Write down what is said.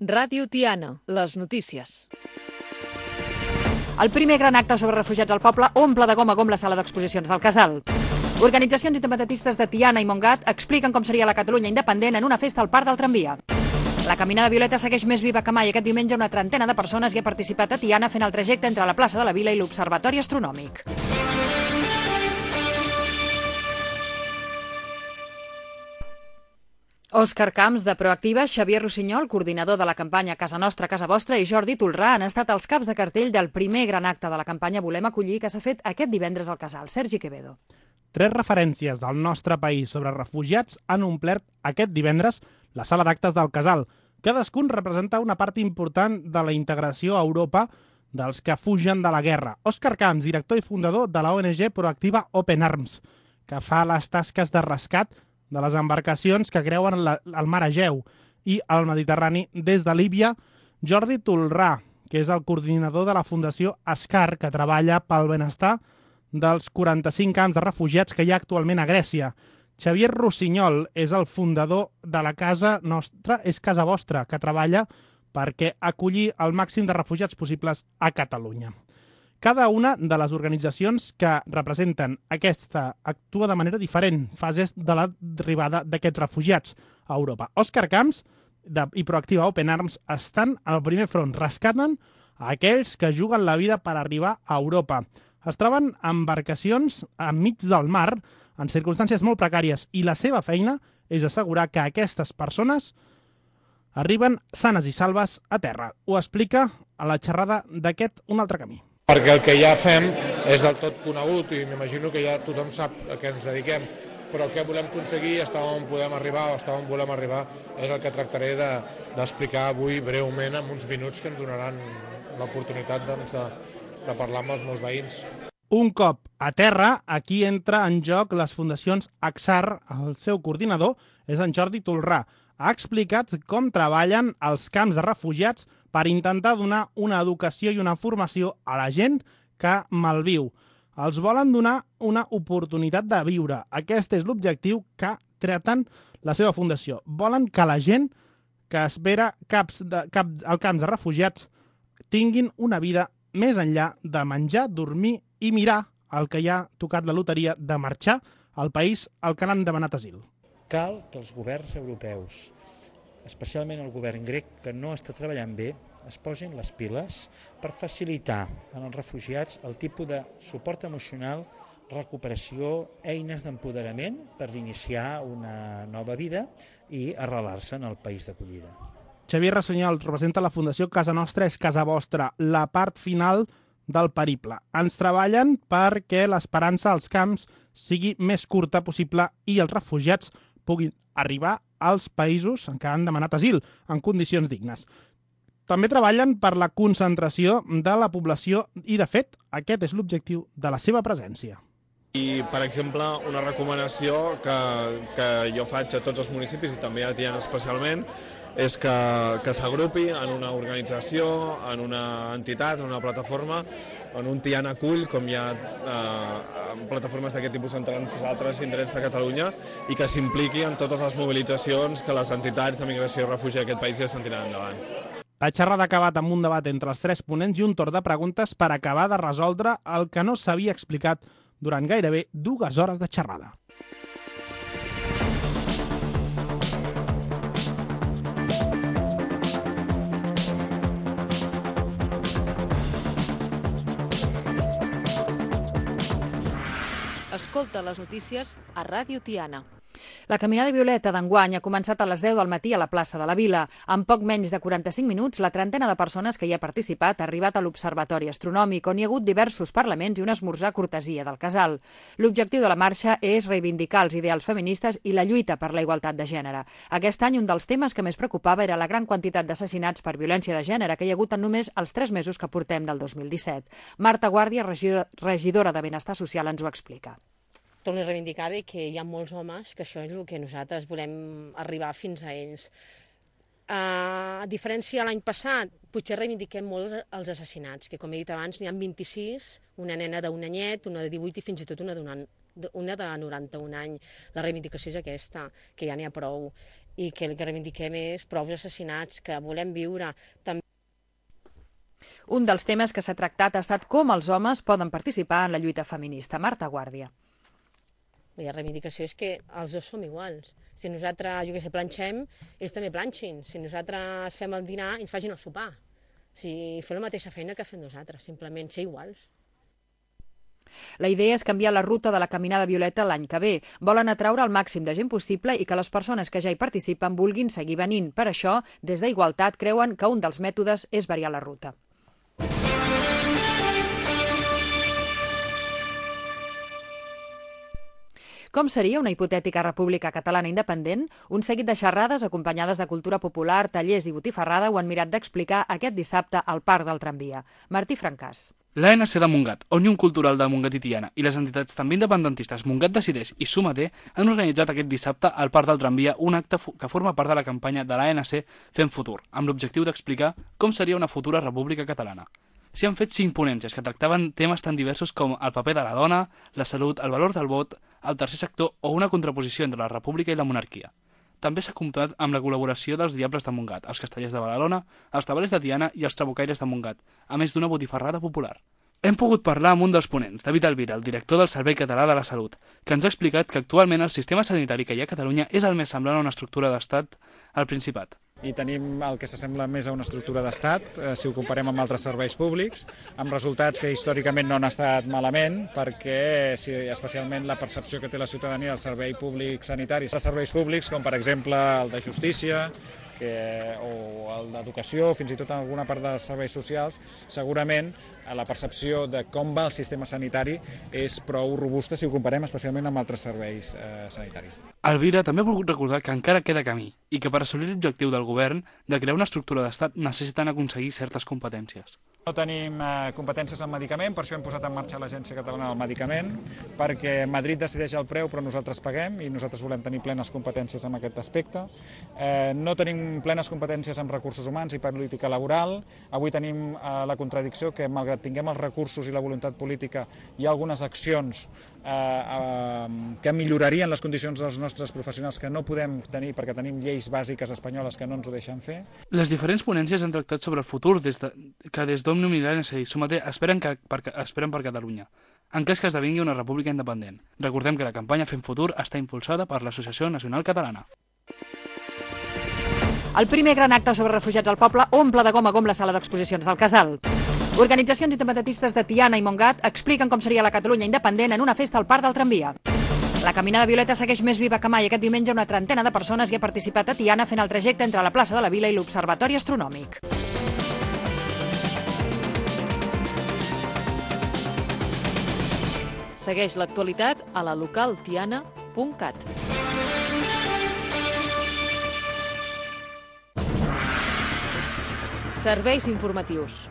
Ràdio Tiana, les notícies. El primer gran acte sobre refugiats al poble omple de gom a gom la sala d'exposicions del Casal. Organitzacions independentistes de Tiana i Montgat expliquen com seria la Catalunya independent en una festa al Parc del Tramvia. La caminada Violeta segueix més viva que mai. Aquest diumenge una trentena de persones hi ha participat a Tiana fent el trajecte entre la plaça de la Vila i l'Observatori Astronòmic. Òscar Camps, de Proactiva, Xavier Rossinyol, coordinador de la campanya Casa Nostra, Casa Vostra, i Jordi Tolrà han estat els caps de cartell del primer gran acte de la campanya Volem Acollir, que s'ha fet aquest divendres al Casal. Sergi Quevedo. 3 referències del nostre país sobre refugiats han omplert aquest divendres la sala d'actes del Casal. Cadascun representa una part important de la integració a Europa dels que fugen de la guerra. Òscar Camps, director i fundador de la ONG Proactiva Open Arms, que fa les tasques de rescat de les embarcacions que creuen el mar Egeu i el Mediterrani des de Líbia. Jordi Tolrà, que és el coordinador de la Fundació Ascar, que treballa pel benestar dels 45 camps de refugiats que hi ha actualment a Grècia. Xavier Rossinyol és el fundador de la Casa Nostra, és Casa Vostra, que treballa perquè acollir el màxim de refugiats possibles a Catalunya. Cada una de les organitzacions que representen aquesta actua de manera diferent fases de l'arribada d'aquests refugiats a Europa. Òscar Camps i Proactiva Open Arms estan al primer front, rescaten a aquells que juguen la vida per arribar a Europa. Es troben embarcacions enmig del mar en circumstàncies molt precàries i la seva feina és assegurar que aquestes persones arriben sanes i salves a terra. Ho explica a la xerrada d'aquest Un altre camí. Perquè el que ja fem és del tot conegut i m'imagino que ja tothom sap a què ens dediquem, però què volem aconseguir, estar on podem arribar o estar on volem arribar, és el que tractaré d'explicar avui breument en uns minuts que ens donaran l'oportunitat de parlar amb els meus veïns. Un cop a terra, aquí entra en joc les fundacions AXAR. El seu coordinador és en Jordi Tolrà. Ha explicat com treballen els camps de refugiats per intentar donar una educació i una formació a la gent que malviu. Els volen donar una oportunitat de viure. Aquest és l'objectiu que tracten la seva fundació. Volen que la gent que espera al camps de refugiats tinguin una vida més enllà de menjar, dormir i mirar el que hi ha tocat la loteria de marxar al país al que han demanat asil. Cal que els governs europeus, especialment el govern grec, que no està treballant bé, es posin les piles per facilitar als refugiats el tipus de suport emocional, recuperació, eines d'empoderament per iniciar una nova vida i arrelar-se en el país d'acollida. Xavier Rossinyol representa la Fundació Casa Nostra és Casa Vostra, la part final del periple. Ens treballen perquè l'esperança als camps sigui més curta possible i els refugiats puguin arribar als països en què han demanat asil en condicions dignes. També treballen per la concentració de la població i, de fet, aquest és l'objectiu de la seva presència. I, per exemple, una recomanació que jo faig a tots els municipis i també a Tiana especialment és que s'agrupi en una organització, en una entitat, en una plataforma, en un Tiana Acull, com hi ha plataformes d'aquest tipus en tants altres indrets de Catalunya, i que s'impliqui en totes les mobilitzacions que les entitats de migració i refugi d'aquest país ja estan tirant endavant. La xerrada ha acabat amb un debat entre els 3 ponents i un torn de preguntes per acabar de resoldre el que no s'havia explicat durant gairebé 2 hores de xerrada. Escolta les notícies a Ràdio Tiana. La caminada Violeta d'enguany ha començat a les 10 del matí a la plaça de la Vila. En poc menys de 45 minuts, la trentena de persones que hi ha participat ha arribat a l'Observatori Astronòmic, on hi ha hagut diversos parlaments i un esmorzar cortesia del Casal. L'objectiu de la marxa és reivindicar els ideals feministes i la lluita per la igualtat de gènere. Aquest any, un dels temes que més preocupava era la gran quantitat d'assassinats per violència de gènere que hi ha hagut en només els 3 mesos que portem del 2017. Marta Guàrdia, regidora de Benestar Social, ens ho explica. Torno a reivindicar que hi ha molts homes, que això és el que nosaltres volem arribar fins a ells. A diferència de l'any passat, potser reivindiquem molt els assassinats, que com he dit abans n'hi ha 26, una nena d'un anyet, una de 18 i fins i tot una de 91 anys. La reivindicació és aquesta, que ja n'hi ha prou. i que el que reivindiquem és prou assassinats, que volem viure. També un dels temes que s'ha tractat ha estat com els homes poden participar en la lluita feminista. Marta Guàrdia. La reivindicació és que els dos som iguals. Si nosaltres, jo què sé, planxem, ells també planxin. Si nosaltres fem el dinar, ens facin el sopar. Si fem la mateixa feina que fem nosaltres, simplement ser iguals. La idea és canviar la ruta de la Caminada Violeta l'any que ve. Volen atraure el màxim de gent possible i que les persones que ja hi participen vulguin seguir venint. Per això, des d'Igualtat creuen que un dels mètodes és variar la ruta. Com seria una hipotètica república catalana independent? Un seguit de xerrades acompanyades de cultura popular, tallers i botifarrada ho han mirat d'explicar aquest dissabte al Parc del Tramvia. Martí Francàs. L'ANC de Montgat, Òmnium Cultural de Montgat i Tiana i les entitats també independentistes Montgat Decideix i Sumater han organitzat aquest dissabte al Parc del Tramvia un acte que forma part de la campanya de l'ANC Fem Futur, amb l'objectiu d'explicar com seria una futura república catalana. S'hi han fet 5 ponències que tractaven temes tan diversos com el paper de la dona, la salut, el valor del vot, el tercer sector o una contraposició entre la república i la monarquia. També s'ha comptat amb la col·laboració dels Diables de Montgat, els Castellers de Badalona, els Tabalers de Tiana i els Trabucaires de Montgat, a més d'una botifarrada popular. Hem pogut parlar amb un dels ponents, David Alvira, el director del Servei Català de la Salut, que ens ha explicat que actualment el sistema sanitari que hi ha a Catalunya és el més semblant a una estructura d'estat al Principat. I tenim el que s'assembla més a una estructura d'estat, si ho comparem amb altres serveis públics, amb resultats que històricament no han estat malament, perquè especialment la percepció que té la ciutadania del servei públic sanitari, de serveis públics com per exemple el de justícia, o el d'educació, fins i tot en alguna part dels serveis socials, segurament la percepció de com va el sistema sanitari és prou robusta si ho comparem especialment amb altres serveis sanitaris. Alvira també ha volgut recordar que encara queda camí i que per assolir l'objectiu del govern de crear una estructura d'estat necessiten aconseguir certes competències. No tenim competències en medicament, per això hem posat en marxa l'Agència Catalana del Medicament, perquè Madrid decideix el preu però nosaltres paguem i nosaltres volem tenir plenes competències en aquest aspecte. No tenim plenes competències en recursos humans i política laboral. Avui tenim la contradicció que, malgrat tinguem els recursos i la voluntat política, hi ha algunes accions que millorarien les condicions dels nostres professionals que no podem tenir perquè tenim lleis bàsiques espanyoles que no ens ho deixen fer. Les diferents ponències han tractat sobre el futur que des d'Òmnium i l'ANC i Sumater esperen per Catalunya, en cas que esdevingui una república independent. Recordem que la campanya Fem Futur està impulsada per l'Associació Nacional Catalana. El primer gran acte sobre refugiats al poble omple de gom a gom la sala d'exposicions del Casal. Organitzacions independentistes de Tiana i Montgat expliquen com seria la Catalunya independent en una festa al Parc del Tramvia. La Caminada Violeta segueix més viva que mai. Aquest diumenge una trentena de persones hi ha participat a Tiana fent el trajecte entre la plaça de la Vila i l'Observatori Astronòmic. Segueix l'actualitat a la localtiana.cat. Serveis informatius.